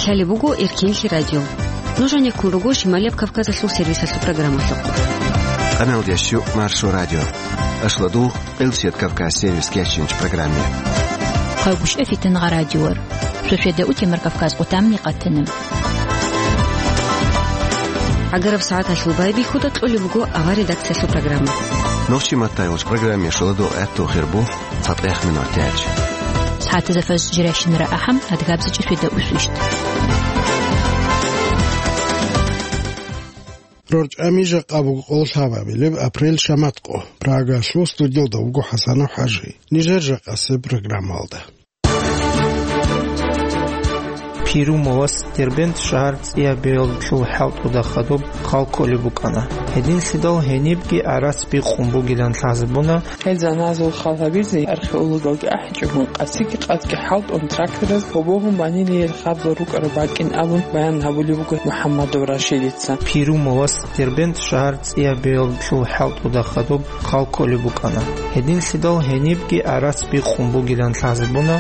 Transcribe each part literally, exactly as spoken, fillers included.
Лъалеб буго Эркенлъи радио. Нуж гьанеккун руго Шималияб Кавказалъул сервисалъул программалъухъ. Къаналдиясчу Маршо радио. Ашладул Къилсият Кавказ сервис кечинч программе. Хъагушев Фитангъа радиор. Шошеда утемар Кавказ къутамни къатанам. ГӀагараб сагӀаталъул байбихьуда кьолеб буго авар редакциялъул программа. Нохчи маттайулч программе шоладо гӀатту хирбу. ЦатӀех минутач. СагӀатазда фажр жирашинара ахӀам, адгабзичӀи шведа усвищ. РорчӀами жакъа буго къоло лъабабилеб апрель шаматкъо. Прагалъул студиялда вуго ХӀасанов ХӀажи. Нижер жакъасеб программалда. Пирумовас Дербент шагьар цӀиябиялъул хӀалтӀуда хадуб хал кколеб букӀана. Гьединлъидал гьенибги гӀарац бикъун бугилан лъазабуна. Гьел заназул хал гьабизе археологалги ахӀичӀогун, къасиги къадги хӀалтӀун трактораз гьобогьун банилиел хабзал рукӀараб бакӀин абун баян гьабулеб буго МухӀаммадов Рашидица. Пирумовас Дербент шагьар цӀиябиялъул хӀалтӀуда хадуб хал кколеб букӀана. Гьединлъидал гьенибги гӀарац бикъун бугилан лъазабуна.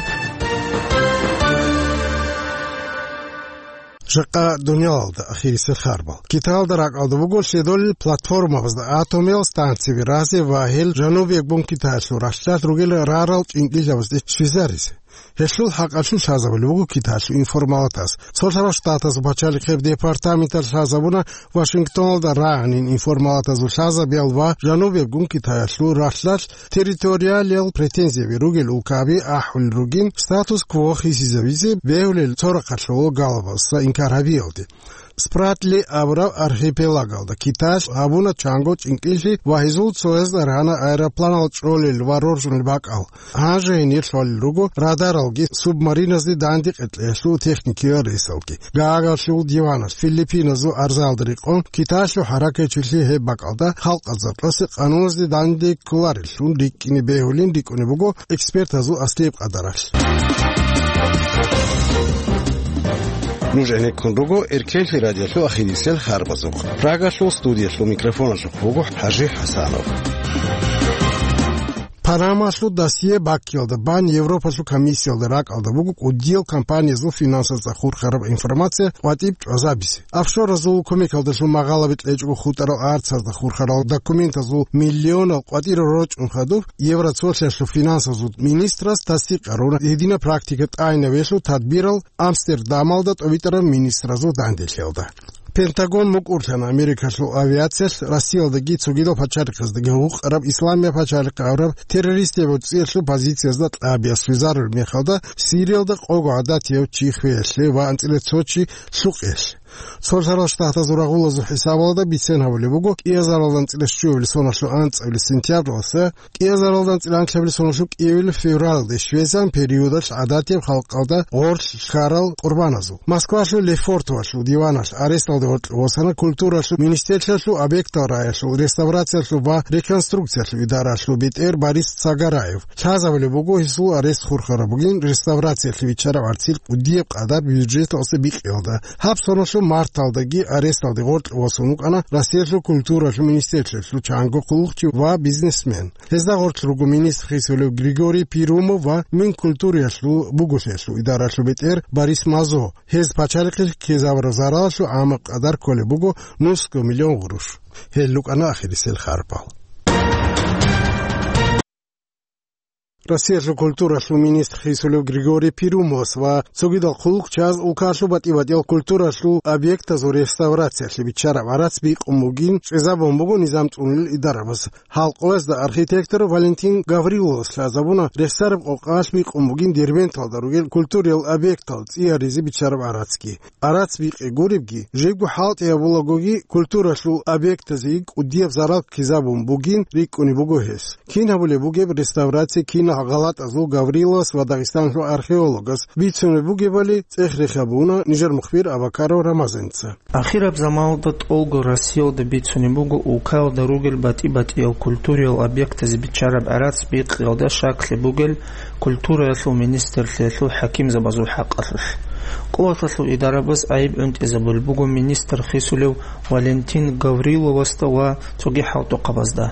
Жакъа дуниялалда ахирисел харбал. Китаялда ракӀалда буго лъедолел платформабазда атомиял станциби разе ва гьел жанубияб гун Китаялъул ралъдалъ ругел рарал чӀинкӀиллъабазде щвезаризе. Гьелъул хӀакъалъулъ лъазабулеб буго Китаялъул информалатаз. Цолъарал Штатазул пачалихъеб департаменталъ лъазабуна Вашингтоналда рагӀанин информалатазул лъазабиял ва жанубияб гун Китаялъул ралъдалъ территориалиял претензияби ругел улкаби ахӀулел ругин статус-кво хисизавизе бегьулел цо рахъалъулъ галабаздаса инкар гьабиялде. Спратли абураб архипелагалда Китаялъ гьабуна чанго чӀинкӀиллъи ва гьезул цояз аргьана аэропланал чӀолел ва роржунел бакӀал. Гьанже гьенир лъолел руго радаралги субмариназде данде къекълъиялъул техникиял ресалги. Гаагаялъул диваналъ Филиппиназул арзаялда рекъон Китаялъул хӀаракатчилъи гьеб бакӀалда халкъазда кьасе къануназде данде кколареллъун рикӀкӀине бегьулин рикӀкӀунеб буго экспертазул аслияб къадаралъ. Нуж гӀенеккун руго Эркенлъи радиолъул ахирисел харбазухъ. Прагалъул студиялъул микрофоналъухъ вуго ХӀажи ХӀасанов. Панамалъул досье баккиялда бан Европалъул комиссиялда ракӀалда буго кӀудиял компаниязул финансазда хурхараб информация къватӀиб чӀвазабизе. Офшоразул кумекалдалъун магъалаби кьечӀого хутӀарал арцазда хурхарал документазул миллионал къватӀирал рорчӀун хадуб, Евроцолъиялъул финансазул министрас тасдикъ гьаруна гьединаб практика тӀайнавелъул тадбирал Амстердамалда тӀовитӀараб министразул данделъиялда. Пентагон мукӀурлъана Америкалъул авиациялъ Россиялдаги цогидал пачалихъаздаги гьукъараб Исламияб пачалихъ абураб террористияб гӀуцӀиялъул позициязда кьабиялъ визарулеб мехалда Сириялда къого гӀадатияв чи хвеялъе ва анцӀила цо чи лъукъиялъе. Цолъарал Штатазул рагъулазул хӀисабалда бицен гьабулеб буго, кӀиазаралда анцӀила щуабилеб соналъул анцӀабилеб сентябралдаса кӀиазаралда анцӀила анлъабилеб соналъул кӀиабилеб февралалде щвезан периодалъ гӀадатияб халкъалда гъорлъ ккарал къурбаназул. Москвалъул Лефортовалъул диваналъ аресталде гъоркье восана культуралъул министрлъиялъул объектал рагӀиялъул реставрациялъул ва реконструкциялъул идаралъул бетӀер Борис Цагараев. Лъазабулеб буго гьесул арест хурхараб бугин реставрациялъе биччараб гӀарцил кӀудияб къадар бюджеталъе бикъиялда. Гьаб соналъул марталдаги аресталде гъоркье восун вукӀана Россиялъул культуралъул министрлъиялъул чанго хъулухъчи ва бизнесмен. Гьезда гъорлъ руго министр хисулев Григорий Пирумов ва Минкультуриялъул буголъиялъул идаралъул бетӀер Борис Мазо. Гьез пачалихъе ккезабураб заралалъул гӀамаб къадар кколеб буго нусго миллион гъурущ. Гьел рукӀана ахирисел харпал. Россиялъул культуралъул министр хисулев Григорий Пирумовас ва цогидал хъулухъчияс улкалъул батӀи-батӀиял культуралъул объектазул реставрациялъе биччараб гӀарац бикъун бугин чӀезабун буго низам цӀунулел идарабаз. Гьалкъоязда архитектор Валентин Гавриловас лъазабуна рехсараб къокъалъ бикъун бугин Дербенталда ругел культуриял объектал цӀияризе биччараб гӀарацги. Гьарац бикъи гуребги, жибго хӀалтӀи гьабулагоги культуралъул объектазеги кӀудияб зарал ккезабун бугин рикӀкӀунеб буго гьес. Кин гьабулеб бугеб реставрация кинал гъалатӀазул Гавриловас ва Дагъистаналъул археологас бицунеб бугебали цӀех-рех гьабуна нижер мухбир Абакаров Рамазанца. Ахираб заманалда тӀолго Россиялда бицунеб буго улкаялда ругел батӀи-батӀиял культуриял объектазе биччараб гӀарац бикъиялда щаклъи бугел культураялъул министрлъиялъул хӀакимзабазул хӀакъалъулъ. Къуваталъул идарабаз гӀайиб гӀунтӀизабулеб буго министр хисулев Валентин Гавриловасда ва цоги хӀалтӀухъабазда.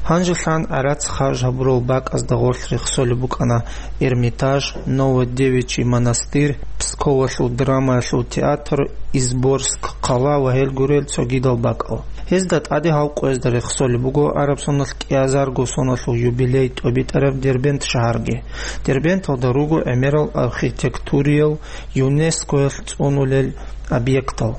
Гьанжелъан гӀарац харж гьабурал бакӀазда гъорлъ рехсолеб букӀана Эрмитаж, Новодевичий монастырь, Псковалъул драмаялъул театр, Изборск хъала ва гьел гурел цогидал бакӀал. Гьезда тӀаде гьал къоязда рехсолеб буго араб соналъ кӀиазарго соналъул юбилей тӀобитӀараб Дербент шагьарги. Дербенталда руго гӀемерал архитектуриял ЮНЕСКОялъ цӀунулел объектал.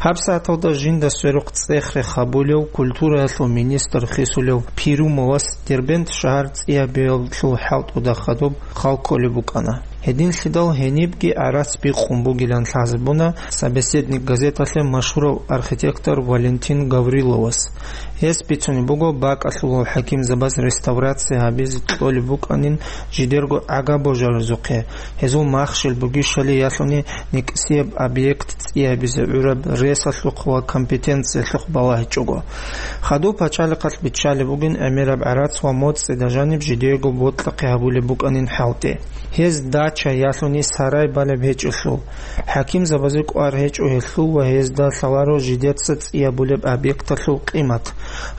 ГьабсагӀаталда жинда сверухъ цӀех-рех гьабулев, культураялъул министр хисулев Пирумовас Дербент шагьар цӀиябиялъул хӀалтӀуда хадуб хал кколеб букӀана. Гьединлъидал гьенибги гӀарац бикъун бугилан лъазабуна «Собеседник» газеталъе машгьурав архитектор Валентин Гавриловас. Гьес бицунеб буго бакӀалъулал хӀакимзабаз реставрация гьабизе кьолеб букӀанин жидерго гӀага-божаризухъе, гьезул махщел бугищали ялъуни никӀсияб объект цӀиябизе гӀураб ресалъухъ ва компетенциялъухъ балагьичӀого. Хадуб пачалихъалъ биччалеб бугин гӀемераб гӀарац ва моцӀида жаниб жидеего бокьахъе гьабулеб букӀанин хӀалтӀи. Гьез дача ялъуни сарай балеб гьечӀелъул, хӀакимзабазе кӀвар гьечӀо гьелъул ва гьезда лъаларо жидеца цӀиябулеб объекталъул къимат.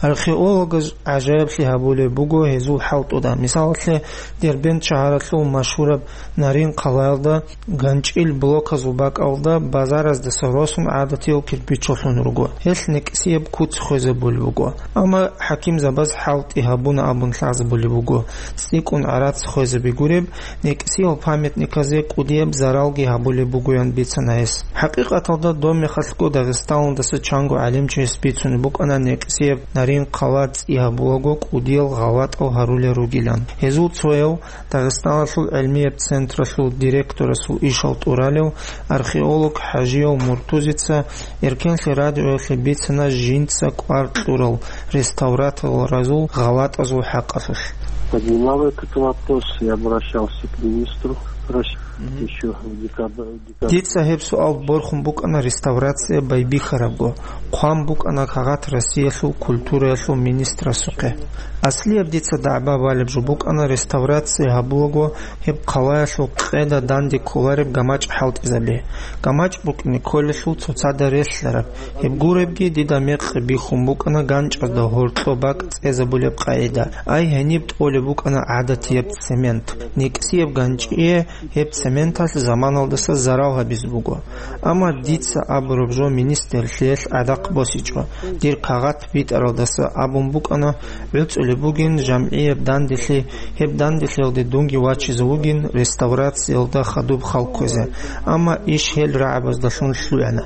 Археологаз гӀажаиблъи гьабулеб буго гьезул хӀалтӀуда. Мисалалъе, Дербент шагьаралъул машгьураб Нарин хъалаялда ганчӀил блоказул бакӀалда базараздаса росун гӀадатиял кирпичалъун руго. Гьелъ некӀсияб куц хвезабулеб буго. Амма хӀакимзабаз хӀалтӀи гьабуна абун лъазабулеб буго, цӀикӀкӀун гӀарац хвезаби гуреб, некӀсиял памятниказе кӀудияб заралги гьабулеб бугоян бицана гьес. ХӀакъикъаталда, доб мехалъго Дагъистаналдаса чанго гӀалимчияс бицунеб букӀана некӀсияб Нарин хъала цӀи гьабулаго кӀудиял гъалатӀал гьарулел ругилан. Гьезул цояв Дагъистаналъул гӀилмияб централъул директорасул ишал тӀуралев археолог ХӀажияв Муртузица Эркенлъи радиоялъе бицана жинца кӀвар кьурал реставраторазул гъалатӀазул хӀакъалъулъ. Поднимал этот вопрос и обращался к министру России. Мгм. Ещё в декабре. Дица гьеб суал борхун букӀана реставрация байбихьарабго, хъван букӀана кагъат Россиялъул культураялъул министрасухъе. Аслияб дица дагӀба балеб жо букӀана реставрация гьабулаго гьеб хъалаялъул къеда данде кколареб гамачӀ хӀалтӀизаби. ГамачӀ букӀине кколелъул цоцазда релълъараб. Гьеб гуребги дида мекъи бихьун букӀана ганчӀазда гьоркьоб бакӀ цӀезабулеб къагӀида. Ай гьениб тӀолеб букӀана гӀадатияб цемент. НекӀсияб ганчӀие гьеб цементалъ заманалдаса зарал гьабизе буго. Амма дица абураб жо министрлъиялъ гӀадахъ босичӀо. Дир кагъат битӀаралдаса абун букӀана, гӀуцӀулеб бугин жамгӀияб данделъи, гьеб данделъиялде дунги вачизе вугин реставрациялда хадуб хал кквезе. Амма иш гьел рагӀабаздалъун лъугӀана.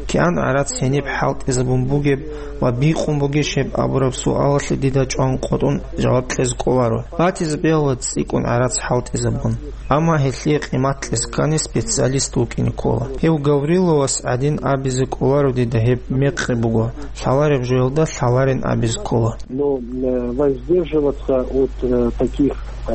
КигӀан гӀарац гьениб хӀалтӀизабун бугеб ва бикъун бугищ гьеб абураб суалалъе дида чӀван къотӀун жаваб кьезе кӀоларо. Батизе бегьула цӀикӀкӀун гӀарац хӀалтӀизабун. Амма гьелъие къимат кьезе ккани специалист вукӀине ккола. Гьев Гавриловас гӀадин абизе кӀоларо дида гьеб мекъи буго, лъалареб жоялда лъаларин абизе ккола. Но, э, воздерживаться от, э, таких, э,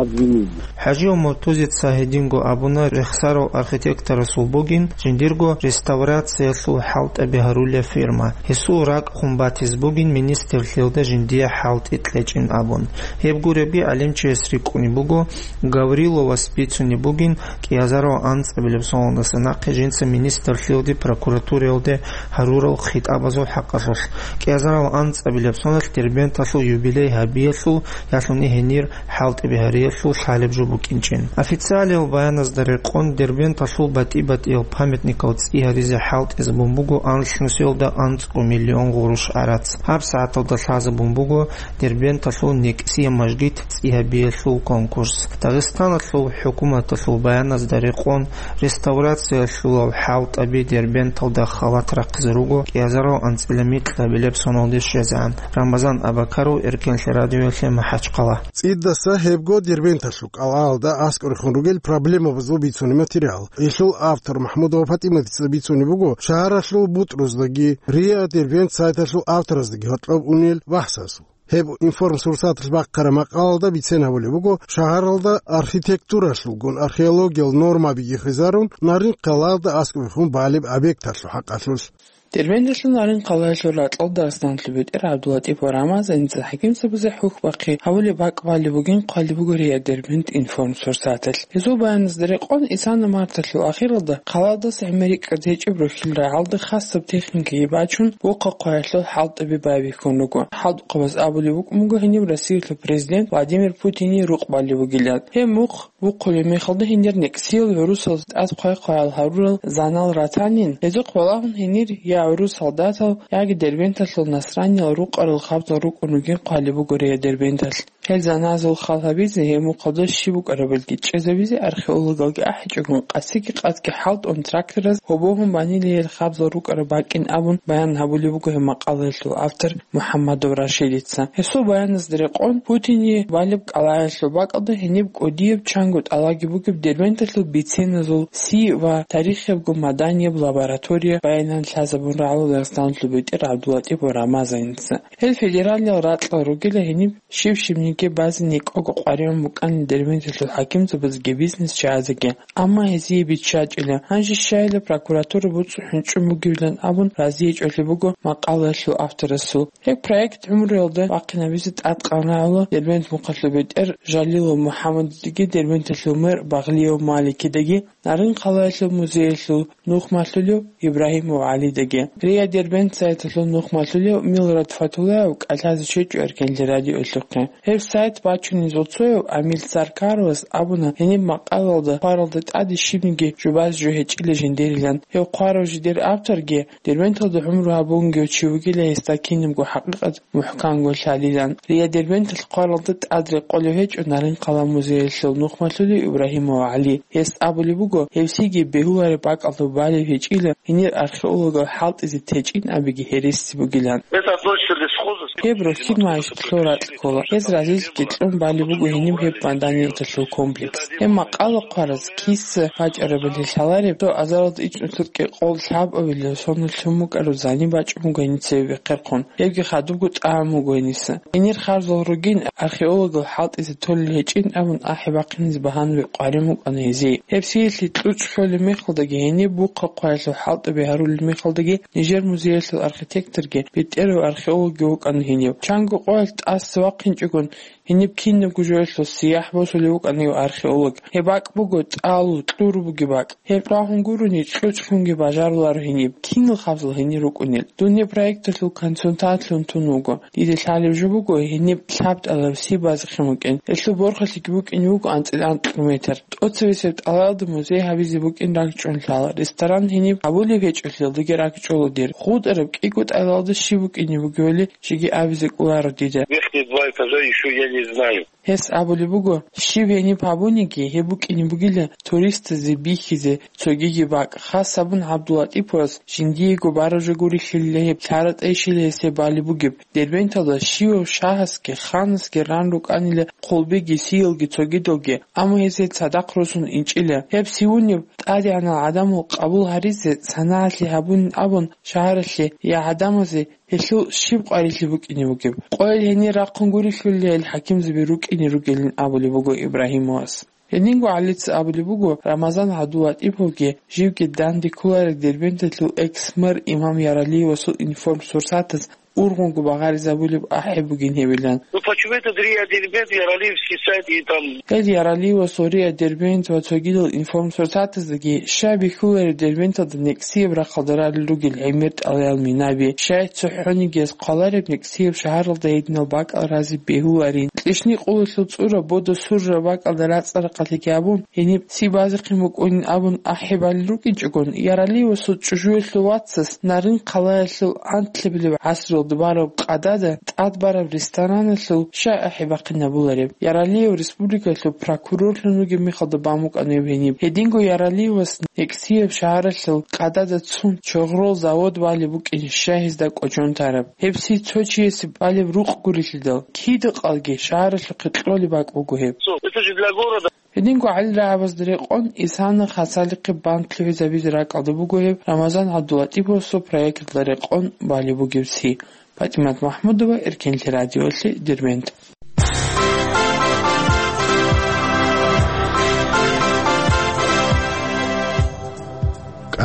обвинений. ХӀажияв Муртузица гьединго абуна рехсарав архитекторасул бугин жиндирго реставрациялъул хӀалтӀаби гьарулев фирма. Гьесул ракӀ хун батизе бугин министрлъиялда жиндие хӀалтӀи кьечӀин абун. Гьеб гуребги гӀалимчияс рикӀкӀунеб буго, Гавриловас бицунеб бугин кӀиазарал анцӀабилеб соналдаса нахъе жинца министрлъиялде, прокуратураялде гьарурал хитӀабазул хӀакъалъулъ. КӀиазарал анцӀабилеб соналъ Дербенталъул юбилей гьабиялъул ялъуни гьенир хӀалтӀи бигьариялъул лъалеб жо букӀинчӀин. Официалиял баяназда рекъон, Дербенталъул батӀи-батӀиял памятникал цӀи гьаризе хӀалтӀизабун буго анлънусиялда анцӀго миллион гъурущ гӀарац. ГьабсагӀаталда лъазабун буго Дербенталъул некӀсияб мажгит цӀи гьабиялъул конкурс. Дагъистаналъул хӀукуматалъул баяназда рекъон, реставрациялъулал хӀалтӀаби Дербенталда халат рахъизе руго кӀиазарал анцӀила микьабилеб соналде щвезегӀан. Рамазан Абакаров, Эркенлъи радиоялъе, МахӀачхъала. ЦӀидаса гьебго Дербенталъул кӀалгӀалда аскӀорехун ругел проблемабазул бицунеб материал. Гьелъул автор МахӀмудова ПатӀиматица бицунеб буго шагьаралъул бутӀруздаги, РИА Дербент сайталъул автораздаги гьоркьоб унел бахӀсасул. Гьеб информсурсаталъ бахъараб макъалалда бицен гьабулеб буго, шагьаралда архитектуралъулгун археологиял нормаби хвезарун Нарин хъалаялда аскӀобехун балеб объекталъул хӀакъалъулъ. Дербенталъул Нарын хъалаялъул ракьалда Арсланлъул бетӀер ГӀабдуллатӀипов Рамазаница хӀакимзабазе хӀухьбахъи гьабулеб бакӀ балеб бугин хъвалеб буго РИА Дербент информсорсаталъ. Гьезул баяназда рекъон, исана марталъул ахиралда хъалаялдаса гӀемерикӀкӀад гьечӀеб рохьил рагӀалда хасаб техникаги бачун, вухъа хъваялъул хӀалтӀаби байбихьун руго. ХӀалтӀухъабаз абулеб букӀун буго гьениб Россиялъул президент Владимир Путине рукъ балеб бугилан. Гьеб мухъ бухъулеб мехалда гьенир некӀсиял гӀурусаз тӀад хъвай-хъваял гьарурал занал ратанин, гьезухъ балагьун гьенир я гӀурус солдатал, яги Дербенталъул насраниял рукъарал хабзал рукӀун ругин хъвалеб буго РИА Дербенталъ. Гьел заназул хал гьабизе, гьеб мухъалда щиб букӀарабилги чӀезабизе археологалги ахӀичӀогун, къасиги къадги хӀалтӀун трактораз гьобогьун банила гьел хабзал рукӀараб бакӀин абун баян гьабулеб буго гьеб макъалаялъул автор МухӀаммадов Рашидица. Гьесул баяназда рекъон, Путине балеб кӀалаялъул бакӀалда гьениб кӀудияб чанго тӀалаги бугеб Дербенталъул биценазул си ва тарихиябго маданияб лаборатория баянан лъазабун рагӀула Дагъистаналъул бетӀер ГӀабдуллатӀипов Рамазаница. Гьел федералиял ракьал ругила гьениб щив-щивниги базе некӀого къваригӀун букӀанин Дербенталъул хӀакимзабазеги бизнес-чагӀазеги. Амма гьезие биччачӀила, гьанже щайила прокуратура буцӀцӀу хӀунчӀун бугевилан абун разиячӀулеб буго макъалаялъул авторасул. Гьеб проект гӀумруялда бахъинабизе тӀадкъан рагӀула Дербент мухъалъул бетӀер Жалилов МухӀаммадидаги Дербенталъул мэр Багълиев Маликидаги, Нарын хъалаялъул музеялъул нухмалъулев Ибрагьимов ГӀалидаги. РИА Дербент сайталъул нухмалъулев Милрат Фатулаев кӀалъазе чӀечӀо Эркенлъи радиолъухъе. Гьеб сайт бачунезул цояв Амил Саркаровас абуна, гьениб макъалаялда хъваралда тӀаде щибниги жубазе жо гьечӀила жиндирилан. Гьев хъварав жидер авторги Дербенталда гӀумру гьабунгев чи вугила, гьесда кинабго хӀакъикъат мухӀканго лъалилан. РИА Дербенталъ хъваралда тӀад рекъолев гьечӀо Нарын хъала музеялъул нухмалъулев Ибрагьимов ГӀали. Гьес абулеб буго, гьевсиги бегьулареб бакӀалда балев гьечӀила гьенир археологал хӀалтӀизе течӀин абиги гьереси бугилан. Это относится к лесхозу. Гьеб рохьил магьишаталъул ракь ккола. Гьез разилъги кьун балеб буго гьениб гьеб маданияталъул комплекс. Гьеб макъала хъвараз киса вачӀарабали лъалареб, цо азаралда ичӀнусуркье къол лъабабилеб соналъ лъун букӀараб зани бачӀун буго гьениса бехъерхъун. Гьебги хадубго тӀагӀун буго гьениса. Гьенир харзал ругин археологал хӀалтӀизе толел гьечӀин абун ахӀи бахъинизе багьанаби къварин букӀана гьезие. Гьеб сиялъе кьучӀ лъолеб мехалдаги, гьениб бухъа хъваялъул хӀалтӀаби гьарулел мехалдаги, нижер музеялъул архитекторги, бетӀерав археологги вукӀана гьенив. Чанго къоялъ тӀаса вахъинчӀогон, гьениб кинабго жоялъул сияхӀ босулев вукӀана гьев археолог. Гьеб бакӀ буго тӀал, кьур бугеб бакӀ. Гьеб рагьун гурони, кьучӀ лъунги бажаруларо гьениб, кинал хабзал гьенир рукӀунел. Дун гьеб проекталъул консультантлъун тун вуго. Дида лъалеб жо буго, гьениб лъаб тӀалаб си базехъин букӀин. Гьелъул борхалъиги букӀин буго анцӀила анкьго метр. ТӀоцебесеб тӀалаялда музей гьабизе букӀин ракӀчӀун лъала. Ресторан гьениб гьабулеб гьечӀолъиялдаги ракӀчӀола дир. ГъутӀараб кӀиго тӀалаялда щиб букӀине бугевали жеги абизе кӀоларо дида. Верхние два этажа ещё я не знаю. Гьес абулеб буго, щиб гьениб гьабуниги, гьеб букӀине бугила туристазе бихьизе цогиги бакӀ. Хас абун ГӀабдуллатӀиповас жиндиего бараб жо гурелъулила гьеб, лъара-тӀайищила гьес гьеб балеб бугеб. Дербенталда щивав шагьасги ханасги ран рукӀанила хъулбиги сиялги цогидалги, амма гьез гьел цадахъ росун инчӀила. Гьеб сивунеб тӀадегӀанал гӀадамал къабул гьаризе санагӀалъи гьабунин абун шагьаралъе я гӀадамазе гьелъул щиб къварилъи букӀине бугеб? Къойил гьенир рахъун гурелъулила гьел хӀакимзаби рукӀине ругелин абулеб буго Ибрагьимовас. Гьединго ГӀалица абулеб буго, Рамазан ГӀабдуллатӀиповги живги данде кколареб Дербенталъул экс-мэр имам Яралиевасул информсурсатаз ургъунго багъаризабулеб ахӀи бугин гьебилан. Ну, почему этот РИА Дербент, Яралиевский сайт и там? Гьел Яралиевасул РИА Дербент ва цогидал информсурсатаздаги щай бихьулареб Дербенталда некӀсияб рахъалда ралел ругел гӀемер тӀалаял минаби, щай цохӀониги гьез хъвалареб некӀсияб шагьаралда гьединал бакӀал разе бегьуларин. Кьищникъулалъул цӀура бода сурра бакӀалда рацӀцӀа-рахъалъиги гьабун, гьениб ци базехъин букӀунин абун ахӀи балел рукӀинчӀогон, Яралиевасул чӀужуялъул вацас Нарын хъалаялъул анлъабилеб гӀасралда бараб къадада тӀад бараб рестораналъул щай ахӀи бахъинабулареб? Яралиев республикалъул прокурорлъун вугеб мехалда бан букӀана гьеб гьениб. Гьединго Яралиевас некӀсияб шагьаралъул къадада цун чогърол завод балеб букӀин щай гьезда кӀочон тараб? Гьеб си цо чиясе балеб рукъ гурелъидал, кида-къалги шагьаралъухъе кьолеб бакӀ буго гьеб. Что, это же для города. Гьединго гӀалил рагӀабазда рекъон, исана хасалихъе бан лъугӀизабизе ракӀалда буго гьеб Рамазан ГӀабдуллатӀиповасул проекталда рекъон балеб бугеб си. ПатӀимат МахӀмудова, Эркенлъи радиолъи, Дербент.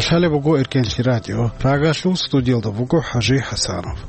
Лъалеб буго Эркенлъи радио. Прагалъул студиялда буго ХӀажи ХӀасанов.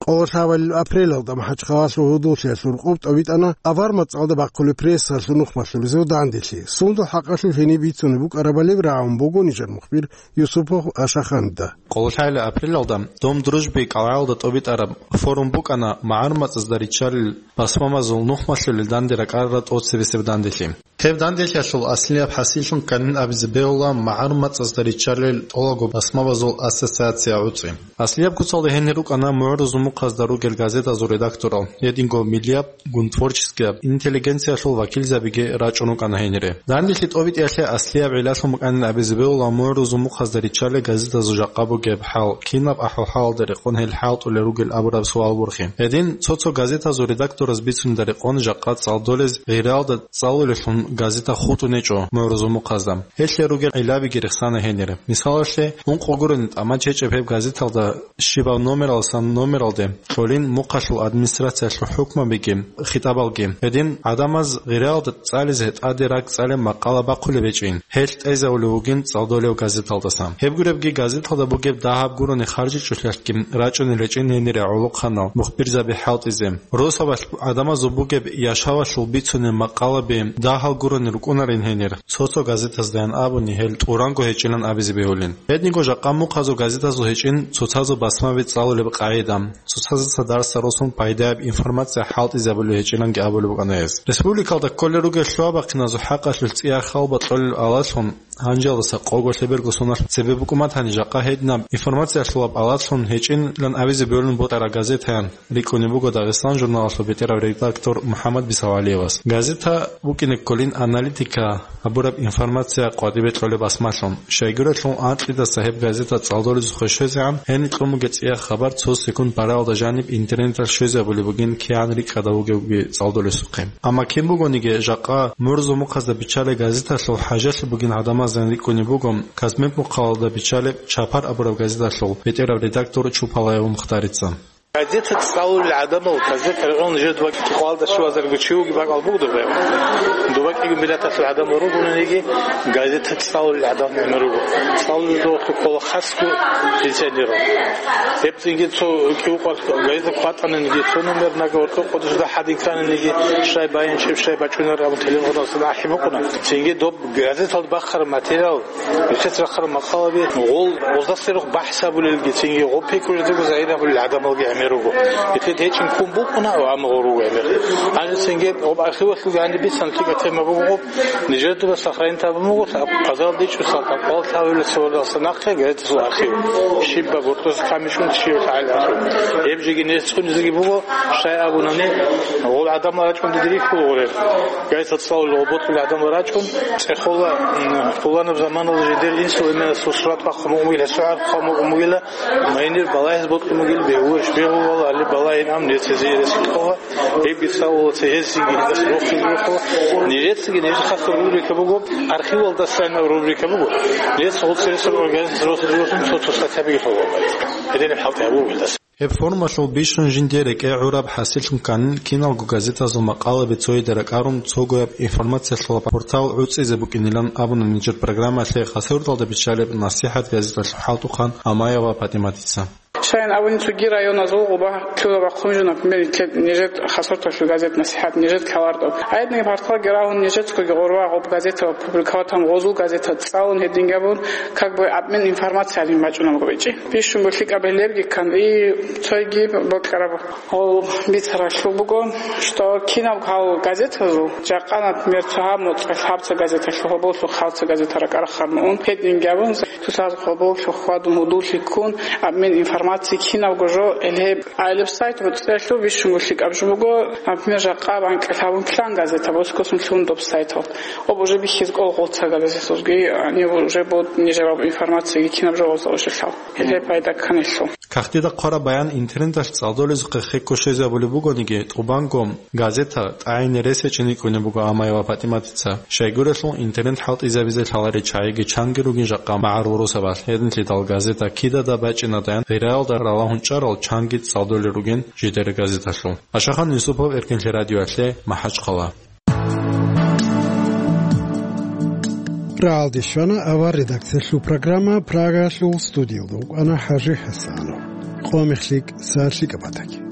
Къоло лъабабилеб апрелалда МахӀачхъалалъул гьудуллъиялъул рукъоб тӀобитӀана авар мацӀалда бахъулеб прессалъул нухмалъулезул данделъи. Сундул хӀакъалъулъ гьениб бицунеб букӀарабали рагӀун буго нижер мухбир Юсупов Ашаханидда. Къоло лъабабилеб апрелалда Дом дружбы кӀалгӀалда тӀобитӀараб форум букӀана магӀарул мацӀазда риччалел басмабазул нухмалъулел данде ракӀарарал тӀоцебесеб данделъи. Гьеб данделъиялъул аслияб хӀасиллъун кканин абизе бегьула магӀарул мацӀазда риччалел тӀолабго басмабазул ассоциация гӀуцӀи. Аслияб куцалда гьенир рукӀана мугӀрузул мухъазда ругел газетазул редакторал, гьединго миллияб, гун творческияб интеллигенциялъул вакилзабиги рачӀун рукӀана гьенире. Данделъи тӀобитӀиялъе аслияб гӀиллалъун букӀанин абизе бегьула мугӀрузул мухъазда риччалел газетазул жакъа бугеб хӀал, кинаб ахӀвал-хӀалалда рекъон гьел хӀалтӀулел ругел абураб суал борхи. Гьедин цо-цо газетазул редактораз бицунебда рекъон жакъа цӀалдолез гъиралда цӀалулеллъун газета хутӀун гьечӀо мугӀрузул мухъазда. Гьелъие ругел гӀиллабиги рехсана гьенире. Мисалалъе, ункъо гурони тӀамач гьечӀеб гьеб газеталда щибаб номералдасан номералде кьолин мухъалъул администрациялъул хӀукмабиги хитӀабалги. Гьедин гӀадамаз гъиралда цӀализе тӀаде ракӀ цӀалеб макъала бахъулеб гьечӀин, гьелъ тӀезавулев вугин цӀалдолев газеталдасан. Гьеб гуребги газеталда бугеб дагьаб гурони харжичӀолъиялъги рачӀунел гьечӀин гьенире гӀолохъанал мухбирзаби хӀалтӀизе. Росабалъ гӀадамазул бугеб яшавалъул бицунел макъалаби дагьал гурони рукӀунарин гьенир. Цо-цо газетаздаян абуни гьел тӀуранго гьечӀилан абизе бегьулин. Гьединго жакъа мухъазул газетазул гьечӀин цоцазул басмаби цӀалулеб къагӀида, цоцаздаса дарсда росун пайдаяб информация хӀалтӀизабулеб гьечӀиланги абулеб букӀана гьес. Республикалда кколел ругел лъугьа-бахъиназул хӀакъалъулъ цӀияб хал бакьулел алалъун, гьанжалдаса къого-лъеберго соналъ цебе букӀун батани жакъа гьединаб информациялъулаб алалъун гьечӀилан абизе бегьулин бокьараб газетаян рикӀкӀунеб буго «Дагъистан» журналалъул бетӀерав редактор МухӀаммад Бисавалиевас. Газета букӀине кколин аналитика гьабураб информация къватӀибе кьолеб басмалъун. Щайгурелъул анкьидаса гьеб газета цӀалдолезухъе щвезегӀан, гьениб кьун бугеб цӀияб хабар цо секунд бараялда жаниб интернеталъ щвезабулеб бугин кигӀан рикӀкӀадав вугевги цӀалдолесухъе. Амма кин бугониги, жакъа мугӀрузул мухъазда биччалеб газеталъул хӀажалъи бугин гӀадамазда рикӀкӀунеб буго Казмет мухъалалда биччалеб «Чапар» абураб газеталъул бетӀерав редактор Чупалаев Мухтарица. Газета цӀалулел гӀадамал, газета регӀун жер доба кӀикъоялда щивазарго чи вугеб бакӀал буго доба. Доба кӀиго миллаталъул гӀадамал ругониги, газета цӀалулел гӀадамал гӀемер руго. ЦӀалулел духъе ккола хасго пенсионерал. Гьеб цинги цо кӀиго къварц газета кватӀананиги, цо номер нага ва цо къодо жуда хӀадин ккананиги, щай байин чеб, щай бачӀунар абун телефоналъ ахӀи букӀуна. Цинги доб газеталда бахъараб материал, Нилъеца рахъараб макъалаби гъол гъоздаса рухъ бахӀс гьабулелги, цинги гъоб пикру жидего загьир гьабулел гӀадамалги гӀемер руго. Нилъеда гьечӀин ккун букӀуна, амма гъол руго гӀемер. Гьанже цинги гъоб архивалъулги гьаниб бицан лъикӀаб тема буго гъоб, нижер дуба сохранить гьабун буго, лъаб-, хъазаралда ичӀо салтакъал лъабабилеб сордалса нахъе газеталъул архив. Щибаб гьоркьоса камичӀун щиб лъагӀел архив. Гьеб жеги нес цӀунизеги буго, щай абунани, гъол гӀадамал рачӀун диде рихьула гъорел. Газета цӀалулел гъол бокьулел гӀадамал рачӀун, ЦӀехола, м, пуланаб заманалда жидер инсул эменасул сурат бахъун букӀун бугила, гьесул гӀараб хъван букӀун бугила, майнир балагьиз бокьун бугила, бегьуларищ бегьулала, гьале балагьин ам нецезе рес кьола, гьебги цӀалула цо гьезиги гьелдаса рохизе рохула. Нижецаги нижер хасаб рубрика буго, архивалдасан рубрика буго. Нижеца гъоцӀи ресурс организация рохизе рохун цо-цо статьябиги лъугьула. Гьединаб хӀалтӀи гьабула гьелдаса. Гьеб форумалъул бищун жинде рекӀе гӀураб хӀасиллъун кканин киналго газетазул макъалаби цояде ракӀарун цогояб информациялъулаб портал гӀуцӀизе букӀинилан абуна нижер программалъе Хасавюрталда биччалеб «НасихӀат» газеталъул хӀалтӀухъан Амаева ПатӀиматица. Щайин абуни цоги районазул гъоба лъугьа бахъун жо, например, нижер Хасавюрталъул газет «НасихӀат», нижер каларда. Гьединги порталги рагьун нижецаги гъоркьа гъоб газетал публиковатан гъозул газета цӀалун гьединги абун, как бы обмен информациялин бачӀунаб гъобичи. Бищун буго лъикӀаб гьелебги ккан, и цойги бокьараб гъол бицаралъул буго, что кинаб гьал газетазул, жакъа, например, цо гьаб моцӀалъ гьабца газеталъул гьоболлъухъ гьабца газета ракӀарахъарун ун, гьединги абун, цоцаз гьоболлъухъ хьвадун гьудуллъи ккун, обмен информациялин Ци кинабго жо, гьеле гӀайилаб сайт буцӀцӀиялъул бищунго лъикӀаб жо буго, например, жакъа банкӀалъ гьабун план газета боскосун лъугьун доб сайтал. Об уже бихьиз кӀол гъоца газеталъулги, они уже бод нижераб информацияги кинаб жо гъоца ошелъал. Гьеле пайда кканелъул. Кагътида хъвараб баян интернеталъ цӀалдолезухъе хекко щвезабулеб бугониги, тӀубанго газета тӀагӀине рес гьечӀин рикӀкӀунеб буго Амаева ПатӀиматица. Щайгурелъул интернет хӀалтӀизабизе лъаларел чагӀиги чанги ругин жакъа магӀарул росабалъ, гьединлъидал газета кидада бачӀинадаян гъираялда ралагьун чӀарал чанги цӀалдолел ругин жидер газеталъул. Ашахан Юсупов, Эркинлъи радиоялъе, МахӀачхъала. РагӀалде щвана авар редакциялъул программа, Прагаялъул студиялда вукӀана ХӀажи ХӀасанов. Къо мехлъи, са лъикӀаб батаги.